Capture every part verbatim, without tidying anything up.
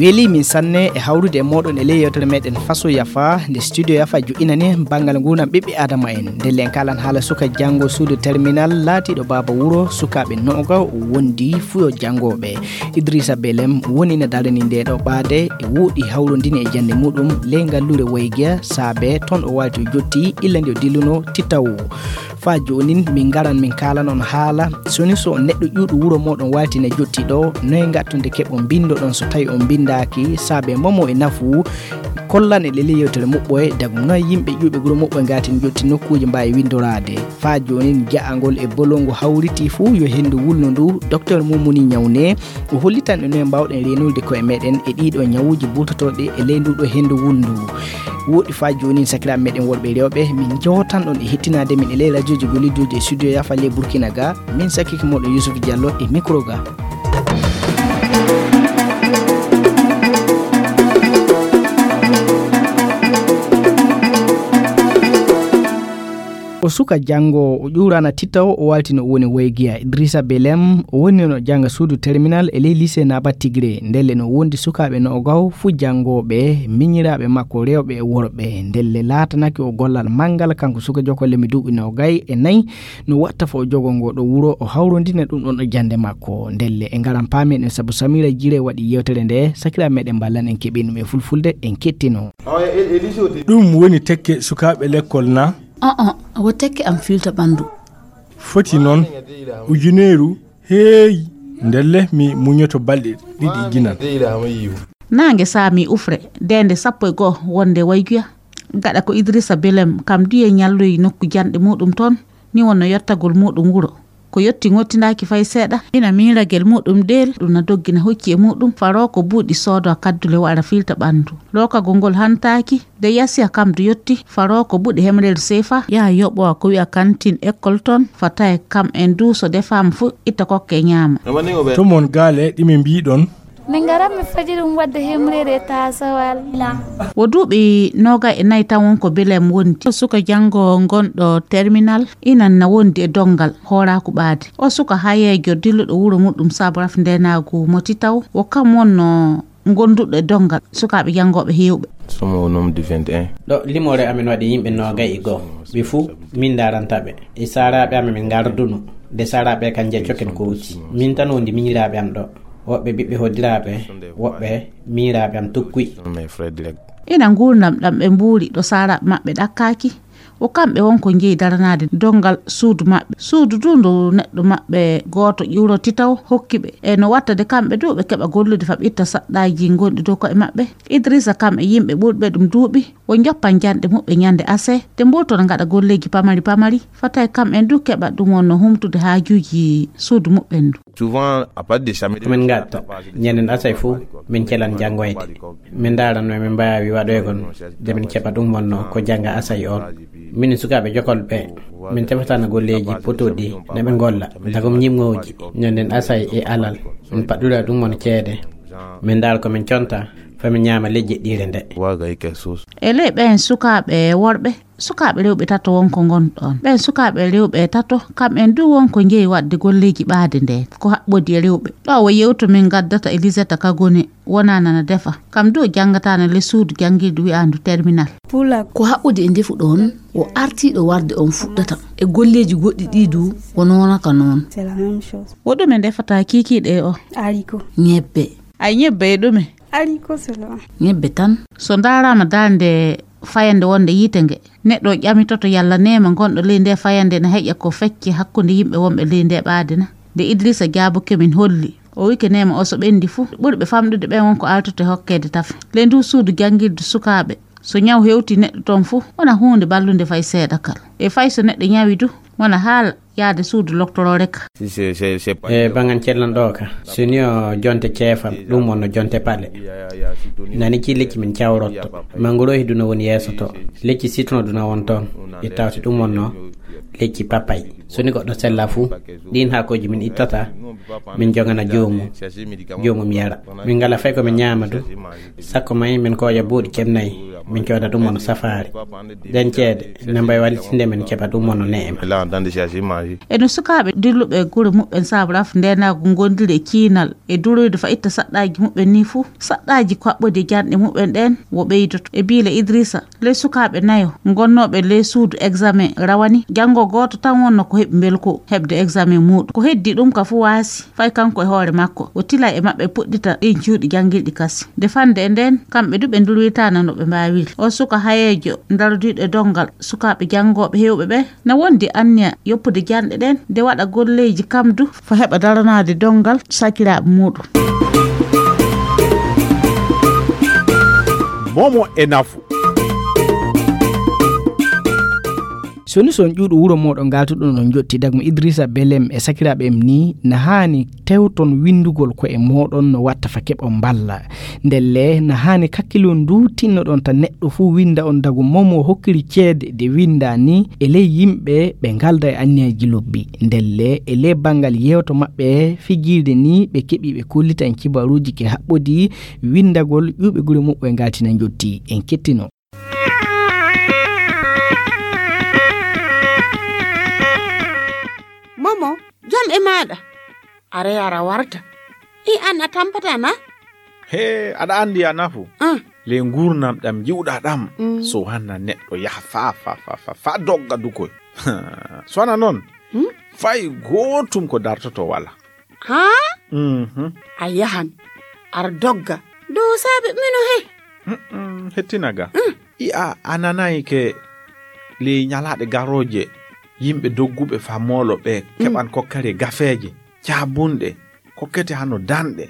Weeli min sanne e hawrude e mooɗon e ley yewtere meɗen Faso Yafa, nde studio Yafa joƴƴinani banngal nguurndam ɓiɓɓe Adama en. Ndelle en kaalan haala suka janngo suudu terminal laatiiɗo baaba wuro, sukaaɓe noga o wondi fuu yo janngooɓe. Idrissa Belem woni ina darani nde ɗo ɓaade, e woɗɗi hawrondini e jannde muɗum ley ngalluure Waygiya, saabe toon o waalti o jotti illa nde o dilluno Titaw. Faa joonin min ngaran min kaalan on haala, soni so neɗɗo ƴuuɗo wuro mooɗon waalti na jotti ɗo, noye ngattunde keɓon mbinndoɗon so tawi on mbinndaaki, saabe momo e nafu, kollan e leli yewtere muɓɓoye, dagum noye yimɓe ƴuuɓe wuro muɓɓoye ngaati na jotti nokkuuji mbaawi winndoraade. Faa joonin ja'angol e bolongo hawritii fuu yo henndu wulnu ndu, Docteur Mumuni Ñawne, o hollitan en noye mbaawɗen reenude koye meɗen e ɗiiɗo ñawuuji buutotooɗi e ley nduɗo henndu wulndu. Woɗɗi faa joonin sakiraaɓe meɗen worɓe e rewɓe, min jootan ɗon e hettinaade min e ley radiooji gollidooji e studio Yafa ley Burkina ga, min sakike mooɗon Yusuf Diallo e micro ga. O suka janngo, o ƴuuraana Titaw, o waalti no o woni Waygiya. Idrissa Belem, o woni no jannga suudu terminal e ley lycée Naba Tigré. Ndelle no wondi sukaaɓe no o gaw fuu janngooɓe, miñiraaɓe makko rewɓe e worɓe. Ndelle laatanake o gollal manngal, kanko suka jokolle mi duuɓi no gay e nayi, no watta fo o jogo ngo ɗo wuro, o hawrondina ɗum ɗon e jannde makko. Ndelle e ngaran paamen en sabu Samira Jire waɗi yewtere nde, sakiraaɓe meɗen mballan en keɓin ɗum e fulfulde, en kettino. Ɗum woni tekke sukaaɓe lekkol na? An-an, wo tekke am filta ɓanndu. Foti noon, ujuneeru, heey, ndelle mi muñoto balɗe ɗiɗi ginan. Naange saami ufre, deende sappo e go'o wonde Wayguya. Gaɗa ko Idrissa Belem kam duye ñalloyi nokku janɗe muɗum toon, ni wonno yottagol muɗum wuro. Ko yotti ŋottindaaki fay seeɗa, ina miiragel muɗum deel, ɗum na doggina hocci e muɗum, faro ko buuɗi soodo kaddule waɗa filta ɓanndu. Lookagol ngol hantaaki, de yasiya kam du yotti, faro ko buuɗi hemreedu seefa, yaha yoɓowa ko wi'a kantin école toon, fataye kam en du so defaama fu, itta kokke ñaama. To mon gaale ɗi min mbiɗon? Min ngaran mi faji ɗum waɗde hemreede e taasawal. Wo duuɓi noogay e nayi tan won ko Belem wondi. Suka janngo gonɗo terminal, inan na wondi e donngal hooraaku ɓaade. O suka hayeejo dilluɗo wuro muɗum saabu rafndeenaagu mo Titaw, wo kam wonno gonduɗo e donngal sukaaɓe janngooɓe heewɓe. Somo o nombre du vingt et un. Ɗo limoore amen waɗi yimɓe noogay e go'o. Ɓe fuu min ndaaranta ɓe. E saaraaɓe amen min ngarduno. De saaraaɓe kan njiya coken ko wuti. Min tan wondi miñiraaɓe am ɗo. Woɓɓe ɓiɓɓe hoddiraaɓe, woɓɓe miñiraaɓe am tukkuy. Ina nguurndam ɗam ɓe mbuuri ɗo saaraaɓe maɓɓe ɗakkaaki. Wo kamɓe won ko njeyi daranaade donngal suudu maɓɓe. Suudu du ndu neɗɗo maɓɓe gooto ƴuuroti taw hokki ɓe. E no watta de kamɓe du ɓe keɓa gollude fa ɓe itta saɗɗaaji gonɗi dow ko'e maɓɓe. Idrissa kam e yimɓe ɓurɓe ɗum duuɓi, wo njoppan janɗe muɓɓe ñande ase, de mburtona ngaɗa golleeji pamari pamari. Fataay kam en du keɓa ɗum wonno humtude haajuuji suudu muɓɓen du. Souvent, à partir de samedi, min ngatta, ñanden asay fuu, min celan janngoyde. Min ndaara no min mbaawi waɗoygol, de min keɓa ɗum wonno ko jannga asay on. Minen sukaaɓe jokolɓe, min tefatano golleeji potooɗi, na ɓe ngolla. Dagom ñimŋooji, ñanden asay e alal, min paɗɗuɗa ɗum won ceede. Min ndaara ko min conta, fa min ñaama lejje ɗiire nde. Waga e quelque chose. E ley ɓen sukaaɓe worɓe, sukaaɓe rewɓe tato won ko ngon ɗon. Ɓen sukaaɓe rewɓe tato, kam en du won ko njeyi waɗde golleeji ɓaade nde. Ko haɓɓodi e rewɓe. Ɗo wo yewto min ngaddata e Lisetta Kagone, wona nana defa. Kam du janngatana le suudu janngirdu wi'andu terminal. Ko haɓɓodi e ndefu ɗon, o artiiɗo warde on fuɗɗata. E golleeji goɗɗi ɗi du, wo noona ka noon. Wo ɗume ndefata kiikiiɗe e o? Ñebbe. Ay ñebbe e ɗume? Ñebbe tan. So ndaaraama darnde fayande wonde yiite nge, neɗɗo ƴamitoto yalla neema ngonɗo ley nde fayande ne heƴa ko fecce hakkunde yimɓe wonɓe ley nde ɓaade na. Nde Idrissa jaaboke min holli, o wike neema o so ɓendi fuu, ɓurɓe famɗude ɓen won ko altoto e hokkeede tafe. Ley ndu suudu janngirdu sukaaɓe, so ñaw hewti neɗɗo toon fuu, wona huunde ballunde fay seeɗa kal. E fay so neɗɗo ñawi du, wona haala yaade suudu loktoroore ka. E bangan cellan ɗo ka, so ni o jonte ceefan, ɗum wonno jonte paɗe. Nani ci lecci min cawrotto. Mangoro e duna woni yeeso to. Lecci sitron duna won toon. E tawti ɗum wonno lecci papay. So ni goɗɗo sella fuu, ɗin haakooji min ittata, Min jogana joomum, joomum yara. Min ngala fay ko min ñaama du. Sakko may min kooƴa buuɗi jeenayi, min cooda ɗum on safaari. Ɗen ceede, ne mbay wallitinde min keɓa ɗum on neema. Là, en train de chercher manger. E no sukaaɓe dilluɓe e gure muɓɓen saabu raf ndeenaagu ngondiri e ciinal e duroyde fa itta saɗɗaaji muɓɓen ni fuu, saɗɗaaji kaɓɓodi e janɗe muɓɓen ɗen wo ɓeydoto. E biile Idrissa, ley sukaaɓe nayo ngonnooɓe ley suudu examen rawani, janngo gooto tan wonno ko heɓi mbelko heɓde examen muuɗum. Ko heddi ɗum ka fuu waasi, fay kanko e hoore makko, o tila e maɓɓe puɗɗita ɗin cuuɗi janngirɗi kasi. Nde fannde e nden, kamɓe du ɓe ndurwitaana no ɓe mbaawiri. O suka hayeejo ndaroduɗo e donngal sukaaɓe janngooɓe heewɓe ɓe, na wondi anniya yoppude janɗe ɗen, nde waɗa golleeji kam du, fa heɓa daranaade donngal sakiraaɓe muuɗum. Momo e nafu. Soni son ƴuuɗo wuro mooɗon ngaltuɗon on jotti dagmo Idrissa Belem e sakiraaɓe em ni, na haani tewton winndugol ko e mooɗon no watta fa keɓon mballa. Ndelle, na haani kakkilon du tinnoɗon ta neɗɗo fuu winnda on dagu momo hokkiri ceede de winnda ni e ley yimɓe ɓe ngalda e anniyaji lobbi. Ndelle, e ley banngal yewto maɓɓe fijirde ni ɓe keɓi ɓe kollitan kibaruuji ke haɓɓodi winndagol ƴuuɓe gure muɓɓe ngaltina jotti. En kettino. Momo, jam e maaɗa. Are ara warta. I an a tampata na? He, aɗa anndi a nafu. Ah. Le nguurnam ɗam jiwɗa ɗam. Mm. So hanna neɗɗo yaha fa, fa, fa, fa, fa dogga dukoy. So hana noon, hmm? Fay gootum ko dartoto wala. Haa? Mhm. A yahan, ar dogga. Dow saabe mino he. Mm-mm, hettina ga. Mm. I a, a nanayi ke ley ñalaaɗe garooje, yimɓe dogguɓe fa moolo ɓe, mm, keɓan kokkari gafeeje, caabunɗe, kokkete hano danɗe.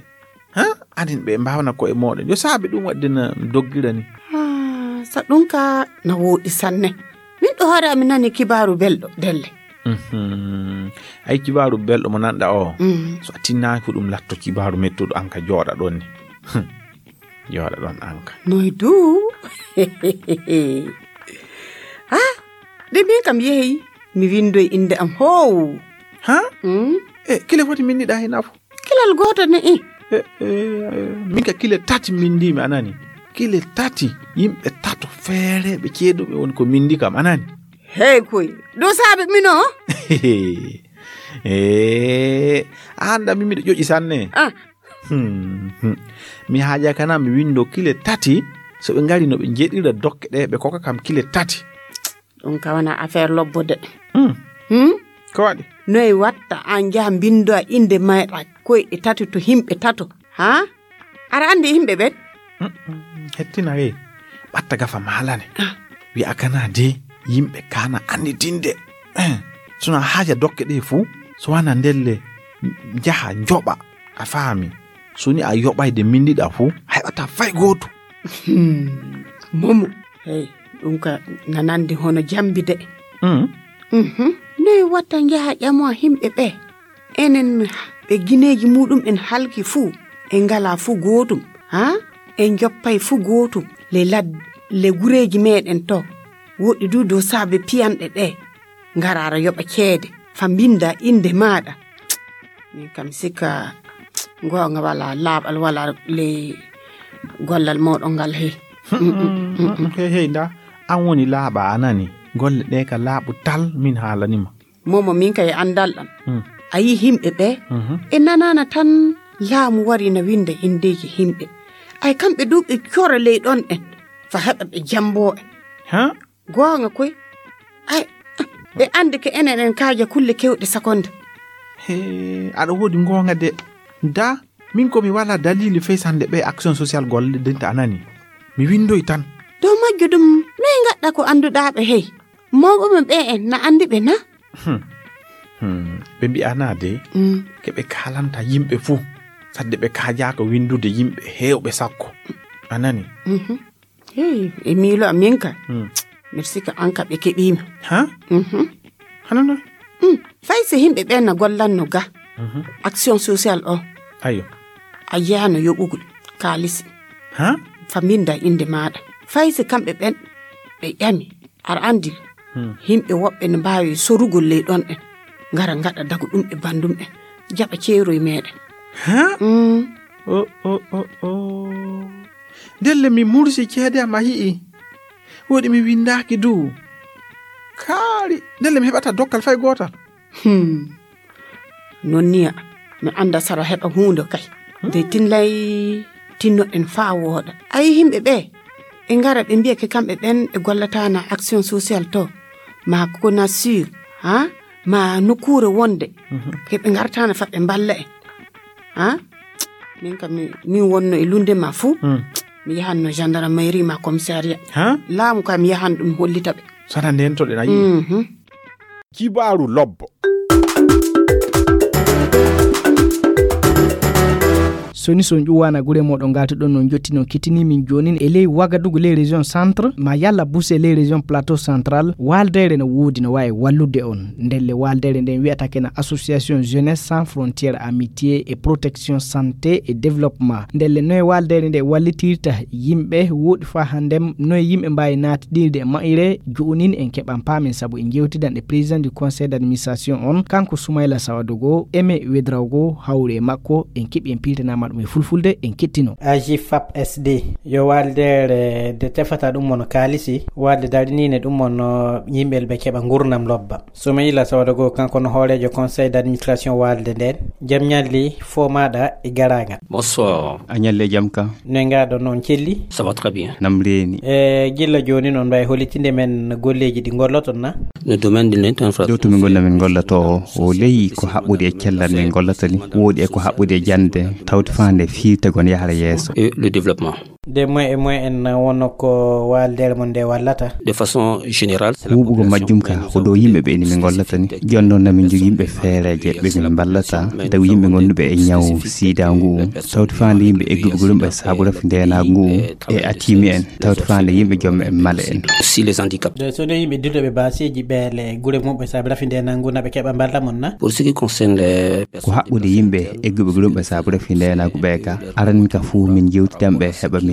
Ha? Anin ɓe mbaawana ko'e mooɗon. Yo saabe ɗum waɗde na doggira ni. Ah, sa ɗum ka na wooɗi sanne. Min ɗo hoore am mi nani kibaaru belɗo, delle. Mhm. Ay, kibaaru belɗo mo nanɗa o. Mm. So a tinnaaki ko ɗum latto kibaaru mettuɗo an ka jooɗa ɗon ni. Hmm. Jooɗa ɗon an ka. Noy du? Ah, de min kam yehi, mi windoy innde am hoowu. Ha? Mm. E, kile foti min niɗa hina fo? Kilal gooto ne i. E, e, e, min ka kile tati min ndi mi anani. Kile tati, yimɓe tato feereɓe ceeɗuɓe woni ko min ndi kam anani. Hey koy, ɗo saabe mino? E, a anda min miɗo ƴoƴi sanne. Ah. Hmm, hmm. Mi haaja kana mi windo kile tati, so ɓe ngari no ɓe jeɗira dokke ɗe, ɓe koka kam kile tati. Ɗum ka wona affaire lobbo de. Hmm. Hmm? Ko waɗi? Noy watta an jaha mbinndoa innde mayɗa koyɗe tati to yimɓe tato. Ha? Aɗa anndi yimɓe ɓen? Mm, mm, hettina hey. Ɓatta gafa maalane. Ah. Wi'a kana de yimɓe kana annitinde. Eh, sona haaja dokke ɗe fuu, so wana ndelle njaha njoɓa. A faami? So ni a yoɓayde min ndiɗa fuu, a heɓata fay gooto. Hmm, Momo, hey, ɗum ka na nandi hono jambi de. Mm. Mhm. Noy watta njaha ƴamoa yimɓe ɓe? Enen ɓe gineeji muɗum en halki fuu, en ngala fuu gootum, ha? En joppay fuu gootum, le lad-, le gureeji meɗen to. Woɗɗi du dow saabe piyanɗe ɗe. Ngara ara yoɓa ceede, fa mbinnda innde maaɗa. Min kam sikka goonga wala laaɓal wala ley gollal mooɗon ngal he. Hey, hey, nda, an woni laaɓa a nani. Golle ɗe ka laaɓu tal min haalanima. Momo min kay anndal ɗam. Hmm. A yi yimɓe ɓe, mhm, ɓe nanaana tan laamu wari na winnda inndeeji yimɓe. Ay kamɓe du ɓe cora ley ɗon en, fa heɓa ɓe jambo en. Ha? Goonga koy. Ay, ɓe anndi ke enen en kaaja kulle kewɗe sakonde. He, aɗa woodi goonga de. Da, min ko mi wala dalili fey sande ɓe action social golle dinta a nani. Mi windoy tan. Dow majjo ɗum, noy ngaɗɗa ko annduɗaa ɓe hey? Mawɓe men ɓe en na anndi ɓe na? Hmm. Hmm. Ɓe mbi'anaa de, mm, ke ɓe kaalanta yimɓe fuu. Sadde ɓe kaajaaka windude yimɓe heewɓe sakko. A nani? Mhm. Hey, e miilo am min ka. Hmm. Merci ka an ka ɓe keɓiima. Ha? Mhm. Hano noy? Hmm. Fay si yimɓe ɓen na gollanno ga. Mhm. Action social o. Ayo. A yaano yoɓugol kaalisi. Ha? Fa mbinnda innde maaɗa. Fay si kamɓe ɓen ɓe ƴami. Aɗa anndi, hmm, yimɓe woɓɓe ne mbaawi sorugol ley ɗon en. Ngara ngaɗa dagu ɗum e banndum en. jaɓa ceeroy meɗen. Ha? Mm. O, o, o, o. Ndelle mi mursi ceede am a yi'i. Woɗi mi windaaki du. Kaari, ndelle mi heɓata dokkal fay gootal. Hmm. Non niya, mi annda sara heɓa huunde kay. Hmm. De tinlay tinnoɗen faa wooɗa. Ayi yimɓe ɓe, ɓe ngara ɓe mbiya ke kamɓe ɓen ɓe gollataana action sociale to. Ma kona sur, ha? Ma nokkuure wonde. Mhm. Ke ɓe ngartaana fa ɓe mballa en. Ha? Min kam mi, min wonno e lunde ma fuu. Hmm. Mi yahanno gendarmerie ma commissariat. Ha? Laamu kam mi yahan ɗum hollita ɓe. Sana ndentoɗen a yi'i. Mhm. Kibaaru lobbo. Soni so on ƴuwaana gure moɗon ngatoɗon no jottino kittini min jonin e ley Wagadugu ley région centre ma yalla buse ley région plateau central, waldere no woodi no wawi wallude on. Ndelle waldere nden wi'ata kena association Jeunesse Sans Frontières Amitié et Protection Santé et Développement. Ndelle noye waldere nde wallitirta yimɓe woɗi fa handem noye yimɓe mbawi naatidirde e mayre jonin en keɓan paamen sabu en jewtidan e président du conseil d'administration on kanko Soumaïla Sawadogo eme wedrawgo hawri e makko en keɓi en piltanama ɗum e fulfulde en kettino. A J F A P S D yo waldere de tefata ɗum mono kaalisi walde darinine ɗum mono yimɓe ɓe keɓa gurnam lobba. Soumaïla Sawadogo kanko no hooreejo conseil d'administration waalde nden. Jam ñalli fo maɗa e garagal. Bonsoir. A ñalle jam ka. Ne ngaɗo noon celli? Ça va très bien. Nam reeni? E gilla jooni noon mbawi holitinde men golleeji ɗi golloton na? Le domaine de l'infrastructure. Dow to min gonna min gollata o o ley ko haɓɓude e cellal min gollata ni woɗi e ko haɓɓude e jande tawde fande firtagon yahara yeeso. Et le développement. Nde moye e moye en wonno ko waldere mon nde wallata? De façon générale, c'est la huuɓugol population majjum ka ko ɗo yimɓe ɓe ni min gollata ni. Jooni noon namin jogii yimɓe feereeje ɓe min mballata tawi yimɓe ngonduɓe e ñaw sida ngu tawti faande yimɓe egguɓe goɗum ɓe saabu rafi ndenaagu ngu e atimi en tawti faande yimɓe jomme en male en. Si les handicaps. De so ne yimɓe dilloɓe baseeji ɓeele gure mumɓe saabu rafi ndenaagu ngu na ɓe keɓa mballa mon na? Pour ce qui concerne les ko haɓɓude yimɓe egguɓe goɗum ɓe saabu rafi ndenaagu ɓe ka aran ka fuu min jewtidan ɓe heɓa min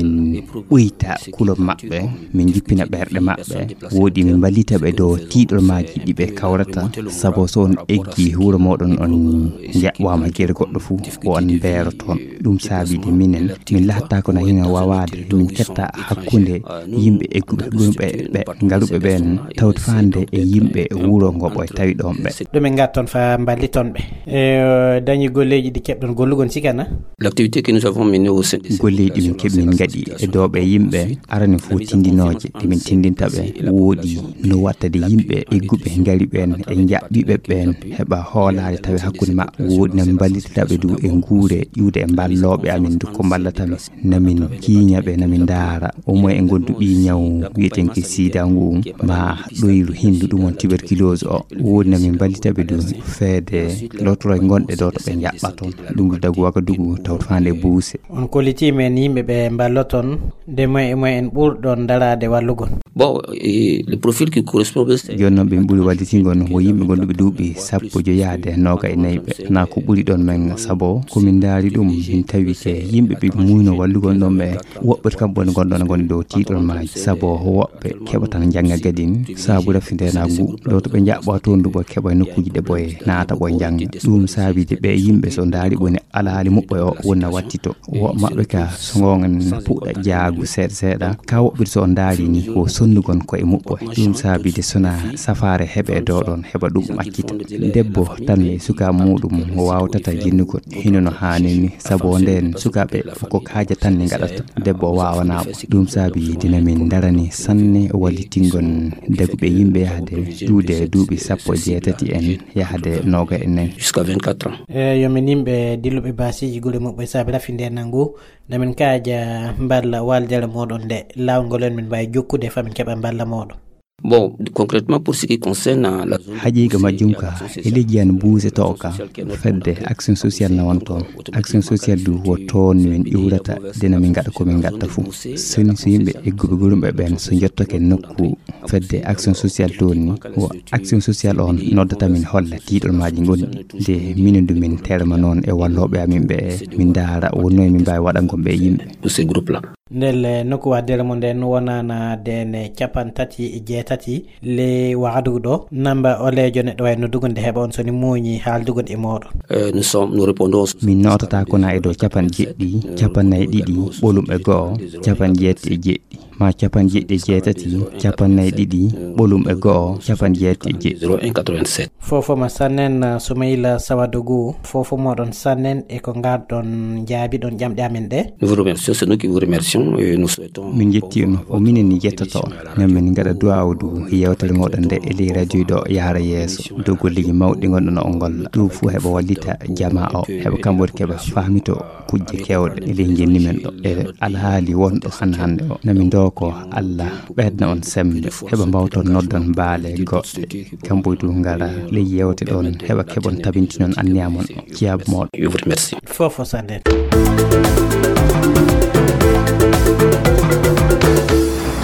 ɓuyta kulo maɓɓe min jippina ɓerɗe maɓɓe woɗi min mballita ɓe dow tiiɗolmaaji ɗi ɓe kawrata sabu so on eggi wuro moɗon on jaɓɓama gere goɗɗo fuu o on mbeero toon. Ɗum saabide minen min lahatta kono hino wawaade min ketta hakkunde yimɓe egguɓe ɗum ɓe ɓe ngaruɓe ɓen tawde faande e yimɓe wuro ngo ɓoy tawi ɗon ɓe. Ɗum en ngatton fa mballiton ɓe e dañi golleeji ɗi keɓɗon gollugon sikana. L'activité que nous avons menée au sein des golleeji min keɓi min ngaɗi e dooɓe yimɓe arani fof tindinooje ɗe min tindinta ɓe woɗi no wattade yimɓe egguɓe ngari ɓen e jaɓɓiɓe ɓen heɓa hoolaade tawi hakkunde maɓɓe woɗi na min mballitata ɓe du e nguure ƴuude e mballooɓe amin du ko mballata min namin kiiña ɓe namin ndaara omo e ngondu ɓi ñaw wiyetenke sida ngu ma ɗoyru hindu ɗum on tuberculose o woɗi namin mballita ɓe du feede lotoro e gonɗe ɗo to ɓe jaɓɓa toon ɗum du dagu waka dugu tawto faande buuse. On kollitima en yimɓe ɓe mballoton nde moye e moye en ɓurɗon daraade wallugol. Bon, et le profil qui correspond bien, c'est jooni noon ɓe ɓuri wallitingol no ko yimɓe gonɗuɓe duuɓi sappo joyaade nooga e nayi ɓe na ko ɓuri ɗon men sabo komin ndaari ɗum min tawi ke yimɓe ɓe muyno wallugol ɗon ɓe woɓɓe kam ɓone gonɗon goni dow tiiɗol maaji sabo woɓɓe keɓatan jannga gadin saabu rafi ndenagu ɗo to ɓe jaɓɓa toon duɓo keɓa nokkuji ɗe ɓoye naata ɓoye jannga ɗum saabide ɓe yimɓe so ndaari ɓone alaali muɓɓe o wonna wattito woɓɓe maɓɓe ka so gonga na puɗɗa jaagu seeɗa seeɗa ka woɓɓirde so o ndaari ni ko sonnugon ko e muɓɓo ɗum saabide sona safaare heɓe dow ɗon heɓa ɗum accita debbo tan e suka muɗum o wawtata jinnugol hino no haanini sabu o nden sukaɓe ko kaaja tan ne gaɗata debbo o wawanama ɗum saabi dina min darani sanne wallitingon daguɓe yimɓe yahde ƴuude duuɓi sappo e jeetati en yahde nooga e nayi. Jusqu'à vingt-quatre ans. E yo min yimɓe dilluɓe baasiji gure muɓɓe saabi rafi nde nangu nde min kaaja mballa waldere moɗon nde lawol ngol en min mbawi jokkude fa min keɓa mballa moɗon. Bon, concrètement pour ce qui concerne la zone haqiqa majjum ka e leydi an buuse to ka fedde action sociale na won toon action sociale du wo toon min iwrata dena min gaɗa ko min gaɗta fuu soni so yimɓe egguɓe gurumɓe ɓen so jottake nokku fedde action sociale toon ni wo action sociale on noddata min holla tiiɗol maaji gonɗi nde minen du min terma noon e wallooɓe amin ɓe min ndaara wonno e min mbaawi waɗangol ɓe yimɓe pour ces groupes là. Ndelle nokku waddere mo nden wonana dene capan tati e jeetati le wahdugo ɗo. Namba oleejo neɗɗo wawi noddugo nde heɓa on soni muuñi haaldugo e mooɗon. Euh, nous sommes, nous répondons. Min nootata ko na e dow capan jeɗɗi, capan nayi ɗiɗi, ɓolum e go'o, capan jeetti e jeɗɗi, ma capan jeɗɗi e jeetati, capan nayi ɗiɗi, ɓolum e go'o, capan jeetti e jeɗɗi. Zéro un quatre-vingt-sept. Fofo ma sannen, Soumaïla Sawadougou, fofo moɗon sannen e ko ngarɗon jaabi ɗon ƴamɗe amen ɗe. Nous vous remercions, c'est nous qui vous remercions et nous souhaitons. Min jetti on, o minen ni jettoto on. Nan min ngaɗa duwaawu du yewtere moɗon nde e ley radio ɗo yahara yeeso. Dow golleeji mawɗi ngonɗon on golla. Ɗum fuu heɓa wallita jamaa o, heɓa kamɓe keɓa fahmito kujje kewɗe e ley njenni men ɗo. E alhaali wonɗo han hannde o. Nami ndoko Allah ɓeyda on sembe, heɓa mbawton noddon baale goɗɗe. Kamɓe du ngara ley yewte ɗon, heɓa keɓon tabintinon anniya mon o. Ciyaabu moɗon. Je vous remercie. Fofo sannen.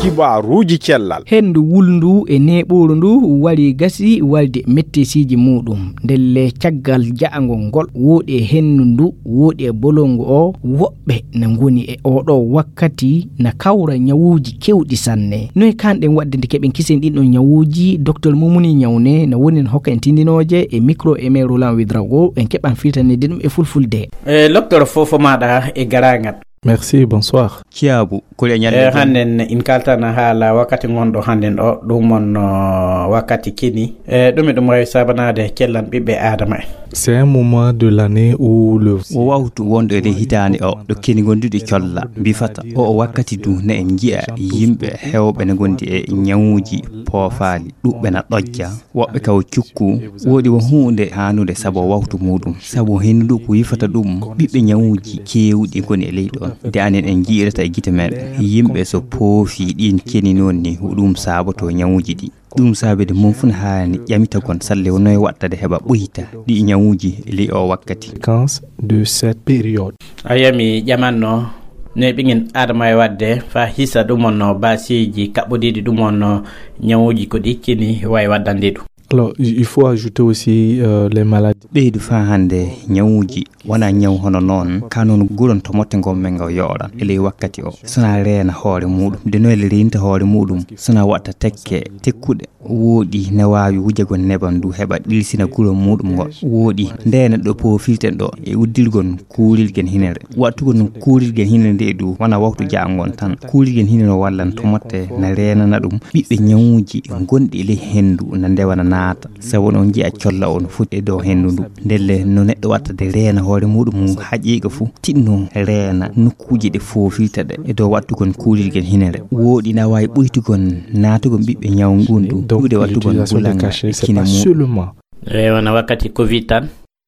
Kibaruuji cellal. Henndu wulndu e neeɓooru ndu wari gasi walde mettesiiji muuɗum. Ndelle caggal ja'ango ngol, wooɗi e henndu ndu, wooɗi e bolongu o, woɓɓe na ngoni e oɗo wakkati na kawra ñawuuji kewɗi sanne. Noye kanɗen waɗde nde keɓen kisen ɗin ɗon ñawuuji? Docteur Mumuni Ñawne na woni no hokka en tindinooje e micro Aimé Roland Ouédraogo, en keɓan firtanede ɗum e fulfulde. E, docteur, fofo maɗa e garagal. Merci, bonsoir. Ciyaabu, ko e ñande. E, hannden in kaltana haala wakkati ngonɗo hannden o, ɗum on, o, wakkati kini. E, ɗum e ɗum wawi sabanade cellan ɓiɓɓe Adama en. C'est un moment de l'année où le. O wawtu wonɗo e ley hitaande o, ɗo keni gonduɗi colla, mbifata. O, o wakkati du ne en nji'a yimɓe hewɓe ne gondi e ñawuji poofaali, ɗuɓɓe na ɗojja. Woɓɓe kaw cukku, woodi wo huunde haanude sabo wawtu muuɗum. Sabo henndu ko yifata ɗum, ɓiɓɓe ñawuuji keewɗi ngoni e ley ɗon. De anen en nji'irata e gite meɗen, yimɓe so poofi ɗin keni noon ni, ko ɗum saaboto ñawuuji ɗi. Ɗum saabede mum fuu ne haani ƴamitagon salle o noye waɗtade heɓa ɓoyta ɗi ñawuuji e ley o wakkati. Conséquence de cette période. A yami ƴamanno ne ɓiŋen Adama e waɗde fa hisa ɗum on no baasiiji kaɓɓodiiɗi ɗum on no ñawuuji ko ɗi kini wawi waɗdande ɗum. Alors, il il faut ajouter aussi euh, les maladies. Ɓeydu faa hannde ñawuuji wona ñaw hono noon, ka noon guron to motte ngon men ngaw yo'oran e ley wakkati o. Sona reena hoore muuɗum, de noyle reynta hoore muuɗum, sona waɗta tekke tekkuɗe. Wooɗi ne waawi wujagon neban du heɓa ɗilsina guro muuɗum ngon. Wooɗi nde neɗɗo poofirten ɗo e uddirgon kuurirgen hinere. Waɗtugol noon kuurirgen hinere nde du wona wawtu ja'angon tan. Kuurirgen hinere wallan to motte na reenana ɗum ɓiɓɓe ñawuuji gonɗi e ley henndu na ndewa na naata. Sabu noon nji'a colla o no foti e dow henndu ndu. Ndelle no neɗɗo watta de reena hoore muuɗum haqiiqa fuu, tinno reena nokkuuji ɗe foofirta ɗe e dow waɗtugol kuurirgel hinere. Wooɗi na waawi ɓuytugol naatugol ɓiɓɓe ñaw ngun ɗum. Donc, ɗuuɗe waɗtugol l'utilisation de bulanga cachet, c'est kine pas muuɗum. Seulement. E wona wakkati Covid tan.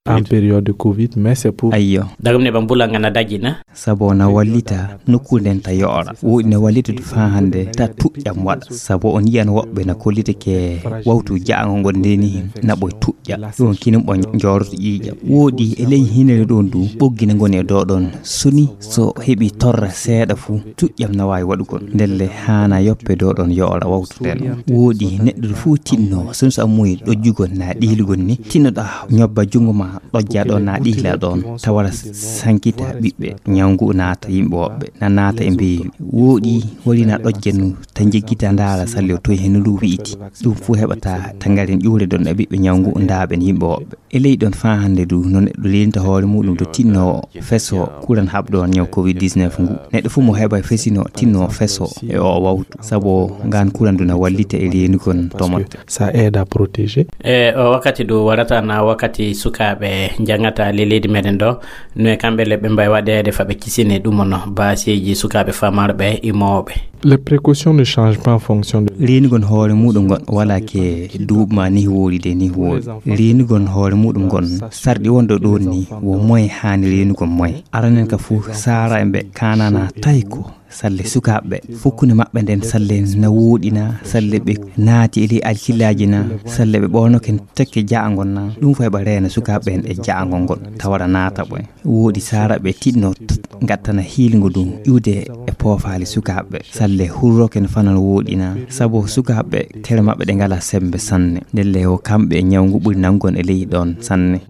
En période de Covid, mais c'est pour. Ayyo. Dagam ne ɓan bulanga na dajina. Sabo na wallita nokkuure nden ta yo'ora. Wooɗi na wallita du faa hannde ta tuƴƴam waɗa. Sabo on yiyan woɓɓe na kollita ke wawtu ja'ango ngon ndeni na ɓoy tuƴƴa. Ɗum kinin ɓon jooroto ƴiiƴam. Wooɗi e ley hinere ɗon du ɓoggi na ngoni e dow ɗon. Soni so heɓi torra seeɗa fuu, tuƴƴam na waawi waɗugol. Ndelle haana yoppe dow ɗon yo'ora wawtu nden. Wooɗi neɗɗo fuu tinno, soni so a muuyi ɗojjugol na ɗihlugol ni, tinnoɗa ñobba junngo ma ɗojja ɗon na ɗihla ɗon, tawara sankita ɓiɓɓe, ñaw ngu naata yimɓe woɓɓe, na naata e mbeeyu. Wooɗi wari na ɗojja nu, ta jeggita ndaara salli o toy heno ndu wi'iti. Ɗum fuu heɓata ta ngaren ƴuure ɗon e ɓiɓɓe ñaw ngu ndaaɓen yimɓe woɓɓe. E ley ɗon faa hannde du, no neɗɗo lelinta hoore muuɗum to tinno feso kuran haɓɗo on ñaw covid dix-neuf ngu. Neɗɗo fuu mo heɓa fesino tinno feso e o wawtu. Sabo ngaan kuran du na wallita e leenugol tomotte. Ça aide à protéger. E o wakkati du warata na wakkati sukaaɓe njangata le leydi meɗen ɗo, no e kamɓe le ɓe mbawi waɗeede fa ɓe kisine ɗum on baaseeji sukaaɓe famarɓe e mawɓe. Les précautions ne changent pas en fonction de. Reenugol hoore muuɗum ngon wala ke duuɓi ma ni woori de ni woori. Reenugol hoore muuɗum ngon sarɗi wonɗo ɗon ni wo moye haani reenugol moye. Aranen ka fuu saara e ɓe kanana tawi ko salle sukaaɓe ɓe. Fukkunde maɓɓe nden salle na wooɗi na, salle ɓe naati e ley alkillaaji na, salle ɓe ɓoonoke tekke ja'angon na. Ɗum fof heɓa reena sukaaɓe ɓen e ja'angon ngon, tawara naata ɓoy. Wooɗi saara ɓe tiɗno t-, ngattana hiilngo ɗum iwde e poofaali sukaaɓe ɓe. Salle hurroke no fanan wooɗi na, sabu sukaaɓe ɓe tere maɓɓe ɗe ngala sembe sanne. Ndelle o kamɓe e ñawngu ɓuri nangon e ley ɗon sanne.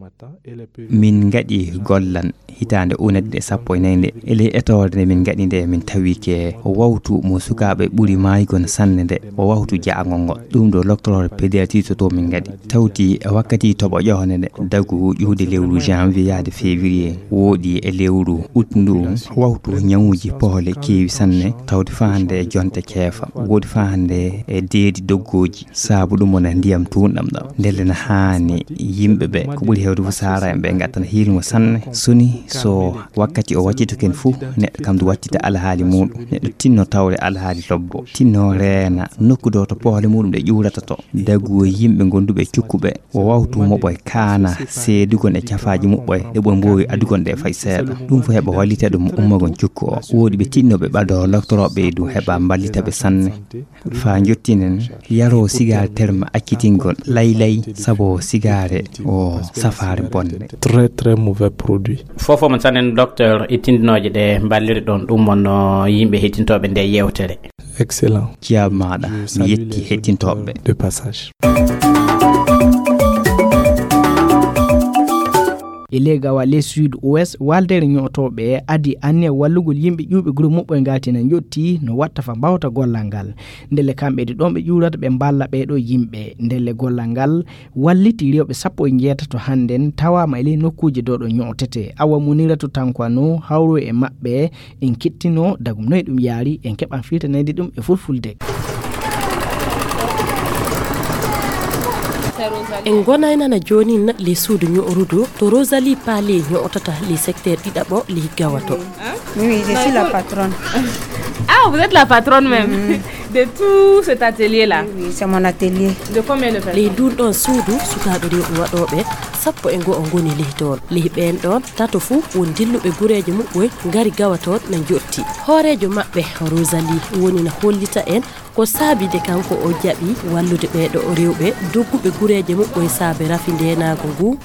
Min ngaɗi gollan Hitaande ujunere ɗiɗi e sappo e nayi nde, e ley etoore nde min ngaɗi nde, min tawi ke o wawtu mo sukaaɓe ɓuri maaygo sanne nde, o wawtu jaangol ngol. Ɗum ɗo loktoroore pédiatrie to to min ngaɗi. Tawti e wakkati toɓo ƴohne nde, dagu ƴuude lewru janvier yaade février, woɗi e lewru août ndu, wawtu ñawuuji poole keewi sanne, tawde faa hannde e jonte keefa, woɗi faa hannde e deedi doggooji. Sabu ɗum wona ndiyam tuunɗam ɗam. Ndelle na haani yimɓe ɓe, ko ɓuri heewde fof saara en ɓe, ngattana hiilngo sanne. Soni so wakkati o wattitoken fof, neɗɗo kam du wattita alhaali muɗum. Neɗɗo tinno tawde alhaali lobbo. Tinno reena nokku ɗo to poole muɗum ɗe ƴuurata to. Dagu yimɓe gonduɓe cukkuɓe, o wawtu moɓoy kaana seedugol e cafaaji muɓɓoy, ɗe ɓoy mboowi adugol ɗe fay seeɗa. Ɗum fof heɓa wallita ɗum ummagon cukku o. Woodi ɓe tinnoɓe ɓado loktoroɓe e ɗum heɓa mballita ɓe sanne. Faa njottinen, yaroo sigaare terma accitingol laylay, sabu sigaare o safaare bonde. Très, très mauvais produit. Fofo mon sanen docteur e tindinooje ɗe mballiri ɗon ɗum wonno yimɓe hettintooɓe nde yewtere. Excellent. Jiyaaɓe maaɗa, mi yetti hettintooɓe. De passage. E ley Gawa, ley Sud Ouest, waldere ñootooɓe adi anniya wallugol yimɓe ƴuuɓe gure muɓɓoy ngati na njotti no watta fa mbawta gollal ngal. Ndelle kamɓe ɗi ɗon ɓe ƴuurata ɓe mballa ɓee ɗo yimɓe. Ndelle gollal ngal walliti rewɓe sappo e njeetato hannden tawaama e ley nokkuuje ɗo ɗo ñootete. Awa Muniratu Tankwano hawru e maɓɓe, en kettinoo dagum noy ɗum yaari, en keɓan filtanede ɗum e fulfulde. En gonay nana jooni na le suudu ño'rudu to Rosalie Palais ño'otata le secteur ɗiɗaɓo le Gawato. Oui, oui, je suis la patronne. Ah, vous êtes la patronne même de tout cet atelier-là. Oui, oui, c'est mon atelier. De combien de personnes? Ley ndun ɗon suudu sukaaɓe rewɓe waɗooɓe sappo e go'o ngoni ley toon. Ley ɓeen ɗon tato fuu won dilluɓe gureeje muɓɓoy ngari Gawa toon na njotti. Hooreejo maɓɓe Rosalie woni na hollita en ko saabi de kanko o jaɓi wallude ɓee ɗo rewɓe dogguɓe gureeje muɓɓoy saabe rafi ndeenaagu ngu.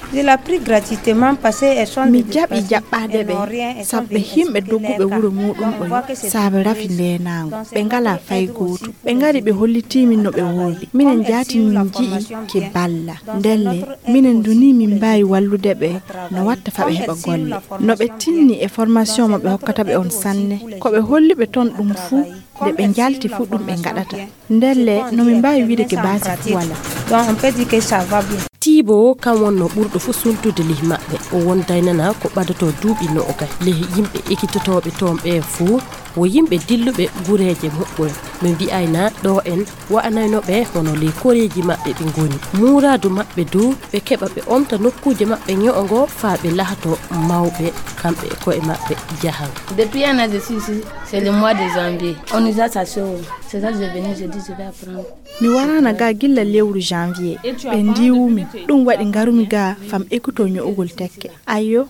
Mi jaɓi jaɓɓaade ɓe, sabu ɓe yimɓe dogguɓe wuro muɗum ɓoy saabe rafi ndeenaagu. Ɓe ngalaa fay gootum. Ɓe ngari ɓe hollitii min no ɓe woordi. Minen jaati min nji'i ki balla. Ndelle, minen du nii min mbaawi wallude ɓe no watta fa ɓe heɓa golle. No ɓe tinni e formation mo ɓe hokkata ɓe on sanne. Ko ɓe holli ɓe ton ɗum fuu, nde ɓe njalti fuu ɗum ɓe ngaɗata. Ndelle, no min mbaawi wiide ke baasi fuu walaa. Donc, on peut dire que ça va bien. Tiibo o kam wonno ɓurɗo fuu suntude ley maɓɓe. O wonday nana ko ɓadotoo duuɓi noogay. Ley yimɓe ekitotooɓe toon ɓe fuu, wo yimɓe dilluɓe gureeje muɓɓoy. Ɓe mbi'ayna ɗo en wa'anayno ɓe hono ley koreeji maɓɓe ɓe ngoni. Muuraadu maɓɓe du, ɓe keɓa ɓe omta nokkuuje maɓɓe ño'o ngo faa ɓe lahato mawɓe kamɓe e ko'e maɓɓe jahan. Depuis un an, je suis ici. C'est le mois de janvier. On nous a chassés. C'est ça, je suis venue, je dis, je vais apprendre. Mi waraana ga gilla lewru janvier. Ɓe ndiiwumi. Ɗum waɗi ngarumi ga fam ekkuto ño'ugol tekke. Ayyo,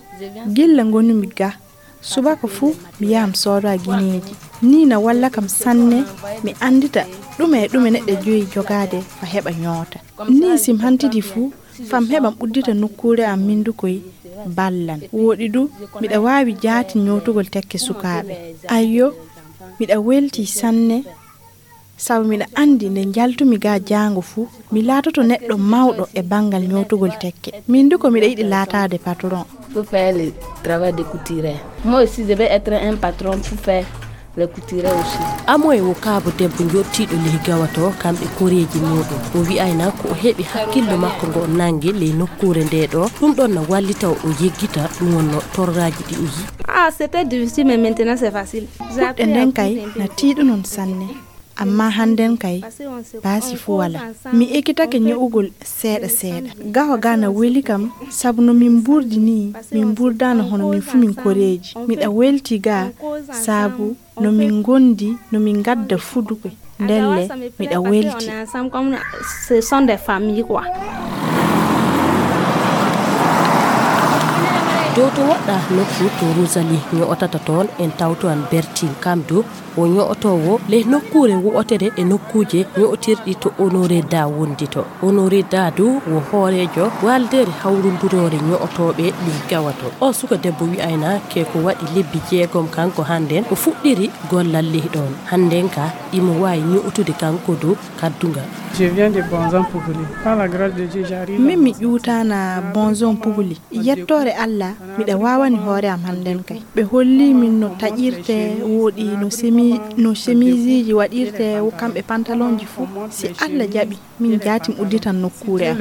gilla ngonumi ga. Subaka fuu mi yaha mi sooda gineeji. Nii na walla kam sanne mi anndita ɗume e ɗume neɗɗo joyi jogaade fa heɓa ñoota. Nii si mi hantidi fuu, fam heɓam uddita nokkuure am mindukoy ballan. Wooɗi du, miɗa waawi jaati ñootugol tekke sukaaɓe. Ayyo, miɗa weltii sanne, sabu miɗa anndi nde njaltumi ga jaango fuu, mi laatoto neɗɗo mawɗo e banngal ñootugol tekke. Min du ko miɗa yiɗi laataade patron. Pour faire le travail de couturier. Moi aussi, je vais être un patron pour faire le couturier aussi. Amoy wo kaabo debbo njottiiɗo ley Gawa to, kamɓe koreeji muuɗum. O wi'ayna ko o heɓi hakkillo makko ngo nannge ley nokkuure nde ɗo. Ɗum ɗon na wallita o yeggita ɗum wonno torraaji ɗi o yi'i. Ah, c'était difficile, mais maintenant c'est facile. J'ai appris à coudre un peu. Puɗɗe nden kay na tiiɗunon sanne. Amma hannden kay, baasi fuu walaa. Mi ekkitake ño'ugol seeɗa seeɗa. Gawa ga na weli kam, sabu no min mburdi nii, min mburdaano hono min fuu min koreeji. Miɗa weltii ga, sabu no min ngondi, no min ngadda fuduɓe. Ndelle, miɗa weltii. Ce sont des familles, quoi. Dow to woɗɗa nokku to Rosalie ño'otata toon, en tawto an Bertine. Kam du, o ño'otoowo ley nokkuure wo'otere e nokkuuje ño'otirɗi to Honoré Da wondi to. Honoré Da du wo hooreejo waaldeere hawrunduroore ño'otooɓe ley Gawa to. O suka debbo wi'ayna ke ko waɗi lebbi jeegom kanko hannden o fuɗɗiri gollal ley ɗoon. Hannden ka imo waawi ño'otude kanko du kaddungal. Je viens de Bonzon Pougli. Par la grâce de Dieu, j'arrive à... Min mi ƴuutaana Bonzon Pougli. Yettoore Alla, Miɗa waawani hoore am hannden kay. Ɓe holli min no taƴirtee, wooɗi no semi-, no semiisiiji waɗirtee, kamɓe pantalonji fuu. Si Alla jaɓi, min jaatim udditan nokkuure am.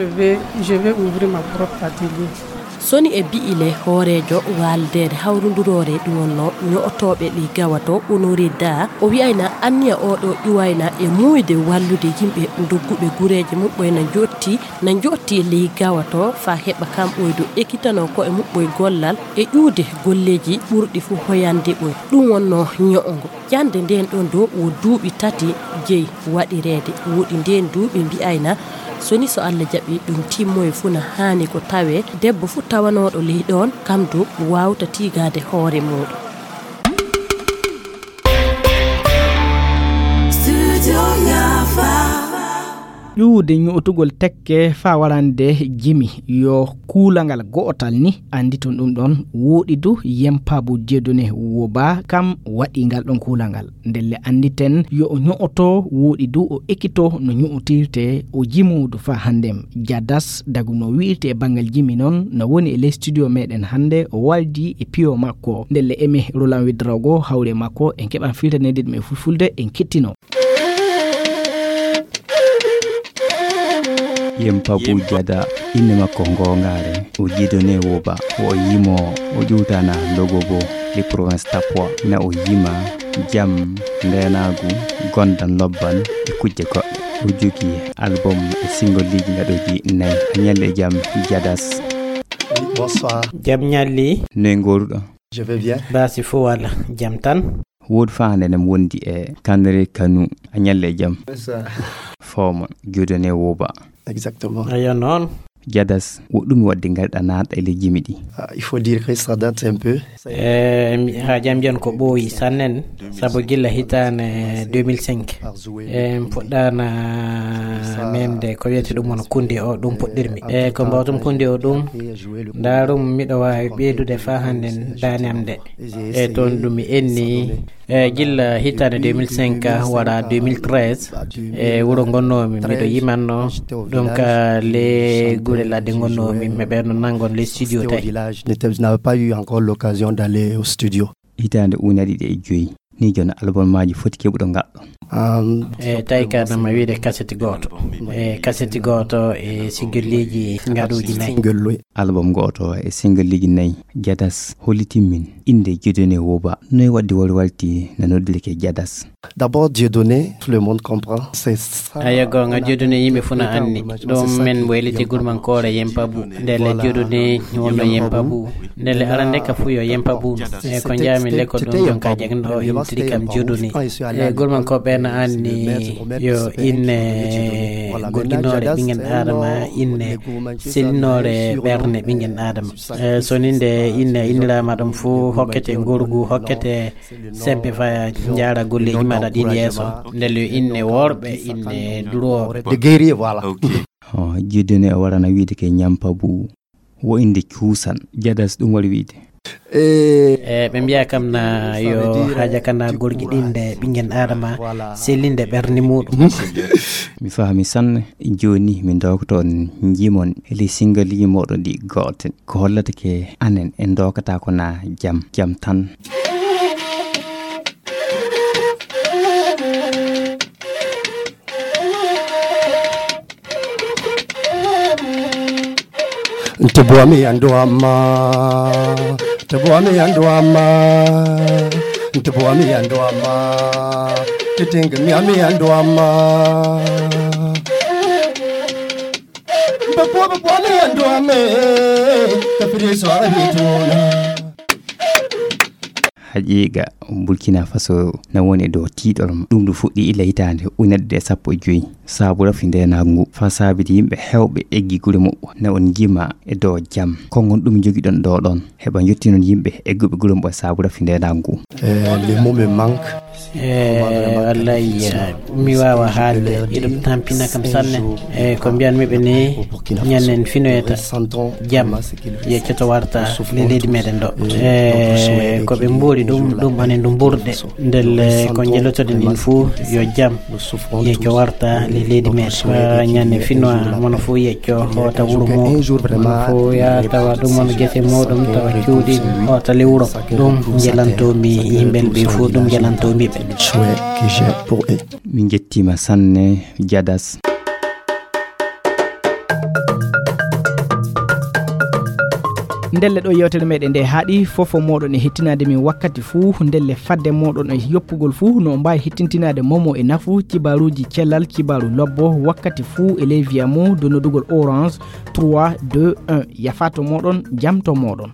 Soni e bi'ile hooreejo waaldeere hawrunduroore ɗum wonnoo ño'otooɓe ley gawato Honoré Da, o wi'ayna anniya oo ɗoo iwayna e muuyde wallude yimɓe dogguɓe gureeje muɓɓoy na njotti, na njotti ley gawato faa heɓa kam ɓooydo ekkitanoo ko'e muɓɓoy gollal e ƴuude golleeji ɓurɗi fuu hoyande ɓoy. Ɗum wonnoo ño'ongo. Jannde ndeen ɗoon dow wo duuɓi tati jeyi waɗireede. Wooɗi ndeen duuɓi mbi'ayna, soni so Alla jaɓi ɗum timmoy fuu na haani ko tawee debbo fuu tawanooɗo ley ɗoon kam dow waawta tiigaade hoore muuɗum. Ƴuwde ño'otugol tekke faa warande jimi yo kuulangal go'otal ni annditon ɗum ɗoon. Wooɗi du Yempaabu Dieudonné Woba kam waɗi ngal ɗoon kuulangal. Ndelle annditon yo o ño'oto, wooɗi du o ekkito no ño'otirtee, o jimoodu faa hannden. Jadas dagu no wi'irtee e banngal jimi noon no woni e ley studio meɗen hannde, o waldi e piyo makko. Ndelle emi Roland Ouédraogo hawri e makko, en keɓan filtaneede ɗum e fulfulde, en kettino. Yempaabu Jada, innde makko goongaare o Dieudonné Woba, o yimoowo, o ƴuwtana Logobo, le province Tapois, na o yima jam, ndeenaagu, gondan lobban e kujje goɗɗe. O jogii album e single liiji ngaɗooji nayi. A ñalli e jam Jadas. Jam ñalli. Noy ngooruɗo? Baasi fuu wala jam tan. Wooɗi faa hannde eɗen wondi e Kanre Kanu. A ñalli e jam. Fooma Dieudonné Woba. Ayo noon. Jadas, wo ɗum waɗde ngarɗa naata e ley jimi ɗi? Il faut dire que ça date un peu. Haa jam jan ko ɓooyi sannen, sabu gila hitaande deux mille cinq en puɗɗaana memde ko wiyete ɗum won kunde o, ɗum puɗɗirmi. E ko mbawtum kunde o ɗum, ndaarum miɗo waawi ɓeydude faa hannden daande am nde. E toon ɗum mi enni. E gila hitaande deux mille cinq wara deux mille treize, e wuro ngonnoomi miɗo yimanno ɗum ka le gure ladde ngonnoomi, mi ɓerno nangon le studio tawi. N'avais pas eu encore l'occasion d'aller au studio. Hitaande ujunaaji ɗiɗi e joy ni, jooni album maaji foti keɓuɗo ngaɗɗo. E tawi ka nama wiide kaseti gooto, e kaseti gooto e single liiji ngaɗuuji nayi. Album gooto e single liiji nayi. Jadas hollitin min innde Dieudonné Woba, noy waɗde wari walti na noddirke Jadas? D'abord, Dieudonné, tout le monde comprend. C'est ça. Ayo goonga, Dieudonné yimɓe fuu na anndi ɗum. Men mbo eliti gurmankoore Yempabu. Ndelle Dieudonné wonno Yempabu. Ndelle arande ka fuu yo Yempabu. E ko njaami le ko ɗum ɗon ka jagno o intiri kam Dieudonné. E gurmankooɓe na anndi yo inne gogginoore ɓingen Adama, inne selinoore ɓerne ɓingen Adama. E so ni nde inne inniraama ɗum fuu hokkete ngorgu, hokkete sembe faya njaara golleeji maɗa ɗin yeeso. Ndelle yo inne worɓe, inne durooɓe. De guerrier, voilà. Dieudonné o warana wiide ke Ñampabu, wo innde cuusan. Jadas, ɗum waɗi wiide? E ɓe mbiya kam na yo haaja kana gorgi ɗin nde ɓingen Adama sellinde ɓernde muɗum. Mi fahmi sanne. Jooni min ndokto on njimon e ley singaliji moɗon ɗi gooten. Ko hollata ke anen en ndokata ko na jam, jam tan. Nte boami andu amma. Nte boami andu amma. Nte boami andu amma. Titinga mi ami andu amma. Mbe boami boami andu amma. Tapiri so ara bituna. Haqiiqa, Burkina Faso na woni e dow tiiɗoram. Ɗum ɗum fuɗɗi ila hitaande ujunere ɗiɗi e sappo e joy, saabu rafi ndeenaagu ngu, faa saabiti yimɓe heewɓe eggi gure muɓɓo. Na on njima e dow jam. Konngol ɗum njogiɗon ɗo ɗon, heɓa njottinon yimɓe egguɓe gure muɓɓo e saabu rafi ndeenaagu ngu. Les mots me manquent. E wallahi, mi waawa haalde, iɗum tampina kam sanne. E ko mbiyanmi ɓe ni, ñannen finoyta jam yeccoto warta le leydi meɗen ɗo. E ko ɓe mbuuri Ɗum ɗum ɓane ndu ɓurde. Ndelle ko njelotoɗen ɗin fuu, yo jam yecco warta le leydi men. Ko ñande finnoa mono fuu yecco hoota wuro mum, mono fuu yaa tawa ɗum on gese muɗum tawa cuuɗi hoota le wuro. Ɗum njelantomi yimɓe ɓe fuu, ɗum njelantomi ɓe. Souhait que j'ai pour eux. Min njettiima sanne, Jadas. Ndelle ɗo yewtere meɗen nde haaɗi. Fofo moɗon e hettinaade min wakkati fuu. Ndelle fadde moɗon e yoppugol fuu, no mbaawi hettintinaade momo e nafu kibaruuji cellal, kibaru lobbo wakkati fuu e ley viya mum de nodugol Orange trois deux un. Yafato moɗon, jamto moɗon.